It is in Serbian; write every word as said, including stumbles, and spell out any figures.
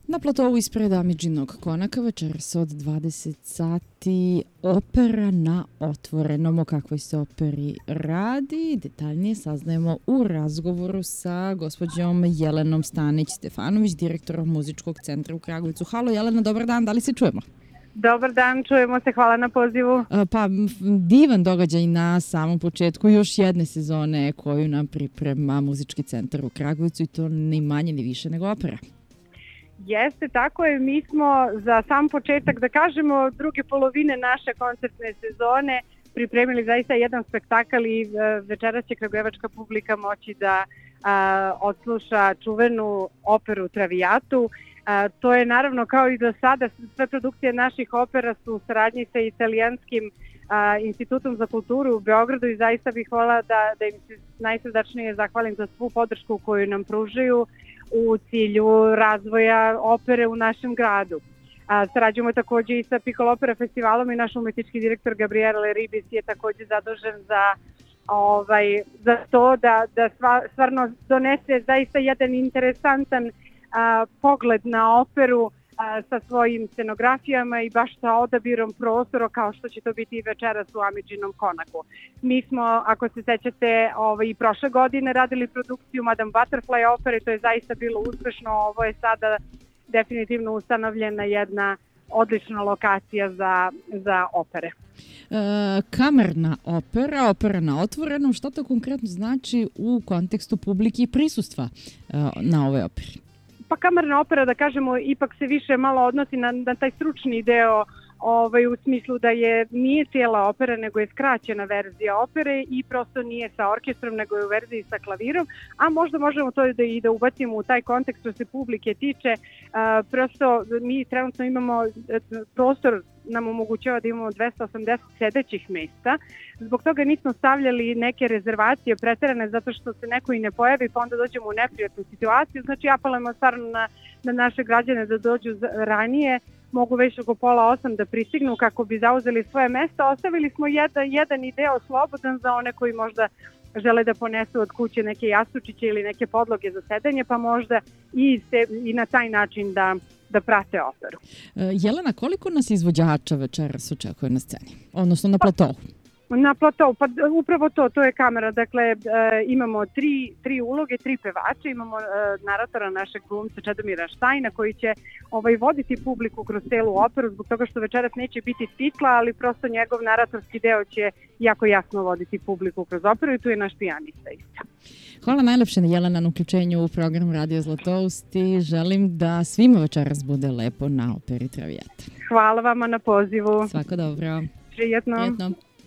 Na platovu ispred Amidžinog konaka večeras od dvadeset sati opera na otvorenom. O kakvoj se operi radi detaljnije saznajemo u razgovoru sa gospođom Jelenom Stanić-Stefanović, direktorom Muzičkog centra u Kragujevcu. Halo Jelena, dobar dan, da li se čujemo? Dobar dan, čujemo se, hvala na pozivu. Pa divan događaj na samom početku još jedne sezone koju nam priprema Muzički centar u Kragujevcu i to ni manje ni više nego opera. Jeste, tako je. Mi smo za sam početak, da kažemo, druge polovine naše koncertne sezone pripremili zaista jedan spektakl i večeras će kragujevačka publika moći da a, odsluša čuvenu operu Traviatu. A, to je naravno kao i do sada, sve produkcije naših opera su u saradnji sa italijanskim a, institutom za kulturu u Beogradu i zaista bih voljela da, da im se najsrdačnije zahvalim za svu podršku koju nam pružaju u cilju razvoja opere u našem gradu. A, sarađujemo također i sa Piccolo Opera festivalom i naš umetnički direktor Gabriele Ribis je također zadužen za, ovaj, za to da, da sva, stvarno donese zaista jedan interesantan a, pogled na operu a, sa svojim scenografijama i baš sa odabirom prostora kao što će to biti i večeras u Amidžinom konaku. Mi smo, ako se sećate, ovaj, i prošle godine radili produkciju Madame Butterfly opere, to je zaista bilo uspešno, ovo je sada definitivno ustanovljena jedna odlična lokacija za, za opere. E, kamerna opera, opera na otvorenom, što to konkretno znači u kontekstu publike i prisustva e, na ovoj operi? Pa kamerna opera, da kažemo, ipak se više malo odnosi na, na taj stručni deo, ovaj, u smislu da je nije cijela opera, nego je skraćena verzija opere i prosto nije sa orkestrom, nego je u verziji sa klavirom, a možda možemo to da i da ubacimo u taj kontekst što se publike tiče. A, prosto mi trenutno imamo prostor, nam omogućava da imamo dvesta osamdeset sedećih mesta. Zbog toga nismo stavljali neke rezervacije preterane zato što se neko i ne pojavi pa onda dođemo u neprijatnu situaciju. Znači apelujemo stvarno na, na naše građane da dođu ranije, mogu već oko pola osam da pristignu kako bi zauzeli svoje mesta. Ostavili smo jedan, jedan deo slobodan za one koji možda žele da ponesu od kuće neke jastučiće ili neke podloge za sedenje, pa možda i, se, i na taj način da da prate operu. Jelena, koliko nas izvođača večeras očekuje na sceni? Odnosno na platovu? Na platovu, pa upravo to, to je kamera. Dakle, e, imamo tri, tri uloge, tri pevače, imamo e, naratora našeg glumca Čedomira Štajna koji će ovaj, voditi publiku kroz celu operu zbog toga što večeras neće biti titla, ali prosto njegov naratorski deo će jako jasno voditi publiku kroz operu i tu je naš pijanista isto. Hvala najlepše Jelena na uključenju u program Radio Zlatoust i želim da svima večeras bude lepo na operi Traviata. Hvala vama na pozivu. Svako dobro. Prijetno. Prijetno.